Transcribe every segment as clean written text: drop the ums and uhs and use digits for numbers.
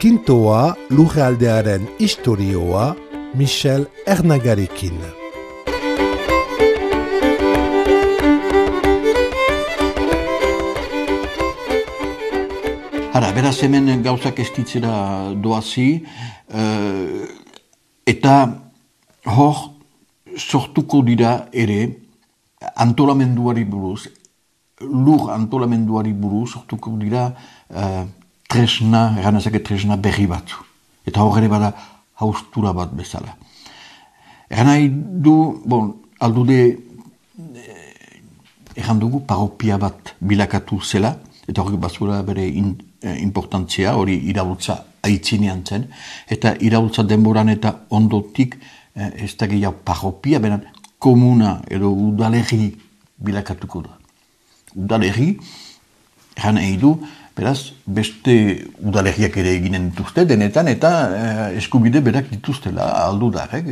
Kintoa lurraldearen istorioa Michel Ernagarekin. Beraz hemen gauzak estitzera doazi, eta hor sortuko dira ere antolamenduari buruz, lur antolamenduari buruz sortuko dira tresna, eranazake tresna berri batzu. Eta hor ere bada haustura bat bezala. Eranai du, aldude eran dugu paropia bat bilakatu zela, eta hori bazura bere importantzia, hori iraultza aitzinean zen, eta iraultza denboran eta ondotik ez da gehiago paropia, beran komuna edo udalerri bilakatuko da. Udalerri, eran nahi du, beraz, beste udalerriak ere eginen dituzte, denetan, eta eskubide berak dituztela aldudarek,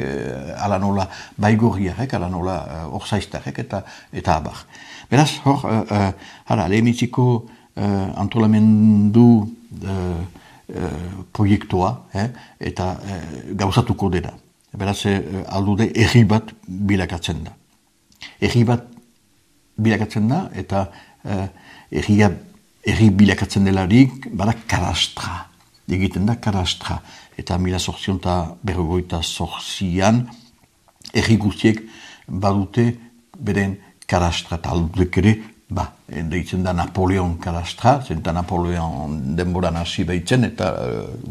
ala nola baigorriarek, ala nola orzaiztarek, eta abar. Beraz, hor, lehemitziko antolamendu proiektua, eta gauzatuko dira. Beraz, aldude erri bat bilakatzen da. Erri bat bilakatzen da, eta erri bilakatzen delarik, bada kadastra. Egiten da kadastra. Eta 1858an, erri guztiek badute beren kadastra. Eta aldudek ere, deitzen da Napoleon kadastra, zenta Napoleon denboran hasi behitzen, eta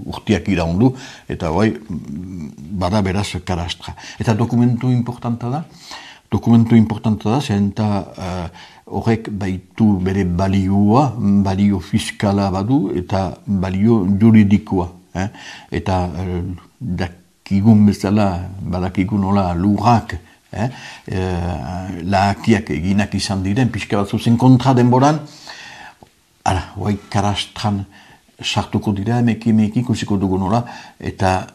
urtiak iraundu, eta bada beraz kadastra. Eta dokumentu importanta da, zenta horrek baitu bere balio fiskala badu, eta balio juridikoa. Eta dakigun bezala, badakigun nola lurrak, lahakiak eginak izan diren, pixka bat zuzen kontra denboran, kadastran sartuko dira, emeki ikusiko dugu nola, eta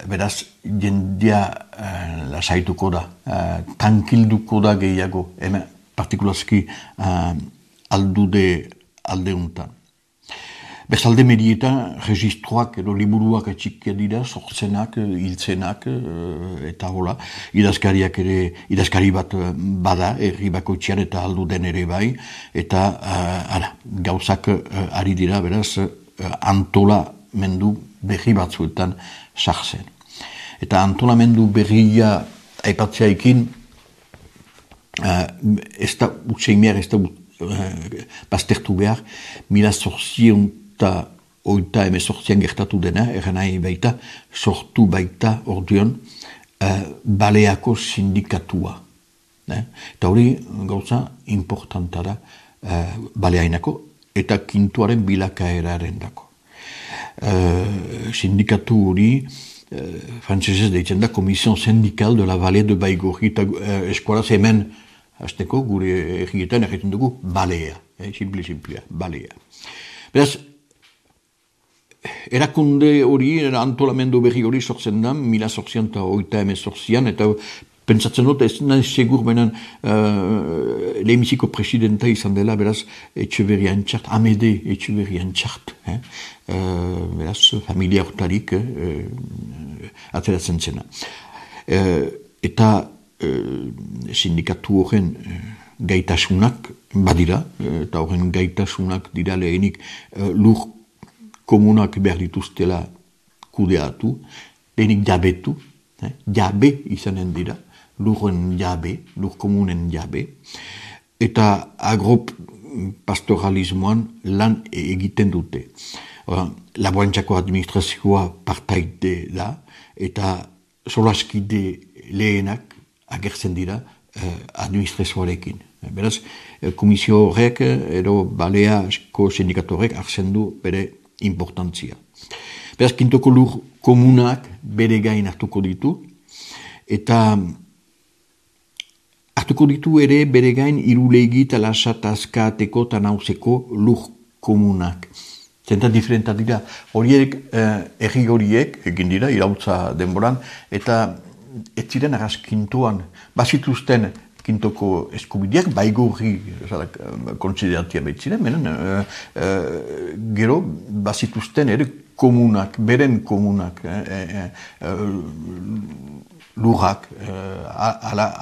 beraz jendia lasaituko da, tankilduko da gehiago, partikulazki aldeuntan. Bestalde medietan, registroak edo liburuak etxikia dira, sortzenak, hiltzenak, eta hola, idazkari bat bada, herri bakoitzean eta alduden ere bai, eta gauzak ari dira, beraz, antolamendu berri batzuetan sartzen. Eta antolamendu berria aipatzea ez da utzein behar, ez da baztertu behar, 1808an gertatu dena, nahi baita, sortu baita orduan Baleako sindikatua. Eta hori gauza importanta da Baleainako eta kintuaren bilakaeraren dako. Sindikatu hori frantzesez deitzen da Commission Syndicale de la Vallée de Baigorri, eta eskualaz hemen hasteko gure egietan egiten dugu balea, simplea, balea. Beraz, erakunde hori, antolamendu berri hori sortzen da, 1808an, eta pentsatzen dut, ez nahi segur benen lehemiziko presidenta izan dela, beraz, Etxeberrian txart, Amede Etxeberrian txart, beraz, familia hortarik ateratzen zena. Eta sindikatu horren gaitasunak badira, eta horren gaitasunak dira lehenik lur komunak behar dituztela kudeatu, lehenik jabetu, jabe izanen dira, lurren jabe, lur komunen jabe, eta agropastoralismoan lan egiten dute. Laborantzako administrazioa partaide da, eta solaskide lehenak agertzen dira administrazioarekin. Beraz, komisio horrek edo Baleako sindikatu horrek hartzen du bere importantzia. Beraz, kintoko lur komunak bere gain hartuko ditu, eta hartuko ditu ere bere gain Irulegi, Talasa, Taskateko eta Nauzeko lur komunak. Zenta diferentat dira, horiek, erri horiek, egin dira, irautza denboran, eta ez ziren arras kintoan, bazituzten kintoko eskubideak, baigorri konsideratia behitziren, gero bazituzten ere komunak, beren komunak, lurrak,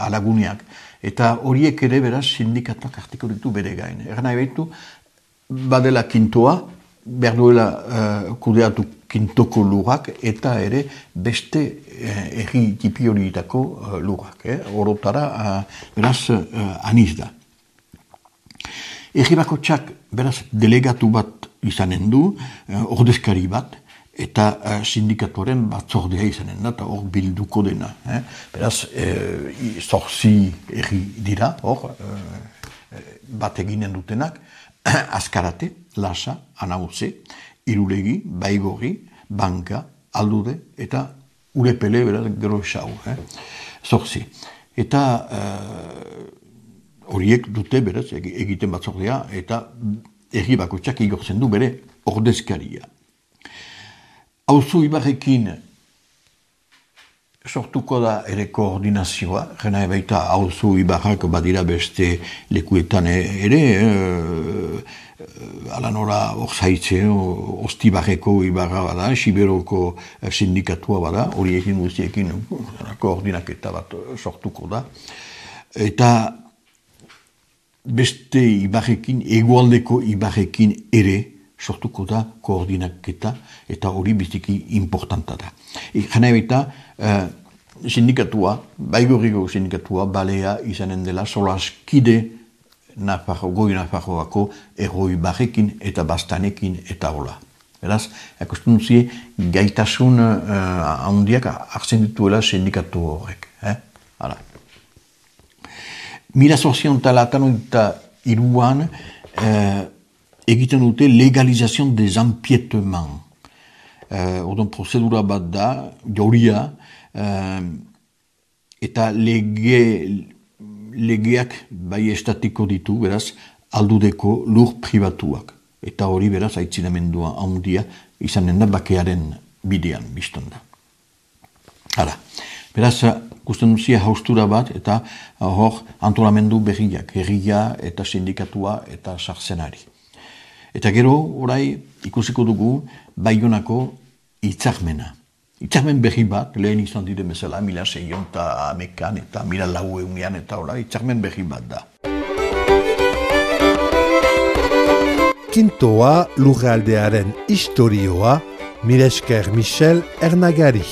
alaguneak, eta horiek ere beraz sindikatuak hartuko ditu bere gain. Egan nahi behitu, badela kintoa, behar duela kudeatu kintoko lurrak, eta ere beste erri tipi horietako lurrak. Orotara, beraz, aniz da. Erri bakotxak, beraz, delegatu bat izanen du, ordezkari bat, eta sindikatuaren batzordea izanen da, eta hor bilduko dena. Beraz, zorzi erri dira, hor, bat eginen dutenak, Azkarate, Lasa, Anauze, Irulegi, Baigorri, Banka, Aldude, eta Urepele, beraz, gero esau. Zorzi. Eta horiek dute, beraz, egiten batzordea, eta erri bakotxak igortzen du bere ordezkaria. Auzo Ibarrekin sortuko da ere koordinazioa, gena baita Auzo Ibarrak badira beste lekuetan ere, alanora Orzaitze, Ostibarreko Ibarra bada, Siberoko sindikatua bada, horiekin guztiekin koordinaketa bat sortuko da. Eta beste Ibarrekin, egualdeko Ibarrekin ere sortuko da koordinaketa, eta hori biziki importanta da. Gena baita, sindikatua, Baigorriko sindikatua, balea izanen dela solaskide goi Nafarroako erroi barrekin eta bastanekin eta hola. Beraz, ikusten duzie, gaitasun handiak hartzen dituela sindikatu horrek. Hala. 1883an egiten dute legalizazion des empiétements. Ordon prozedura bat da, jauria, eta legeak bai estatiko ditu, beraz, aldudeko lur pribatuak. Eta hori beraz, aitzinamendua handia izanen da bakearen bidean, biztan da. Hala, beraz, ikusten duzia haustura bat, eta hor antolamendu berriak, herria eta sindikatua eta sarzenari. Eta gero, orai, ikusiko dugu, Baionako hitzarmena. Hitzarmen berri bat, lehen izan dire bezala, 1600 eta 1400 eta orai, hitzarmen berri bat da. Kintoa lurraldearen istorioa, mila esker Michel Ernagari.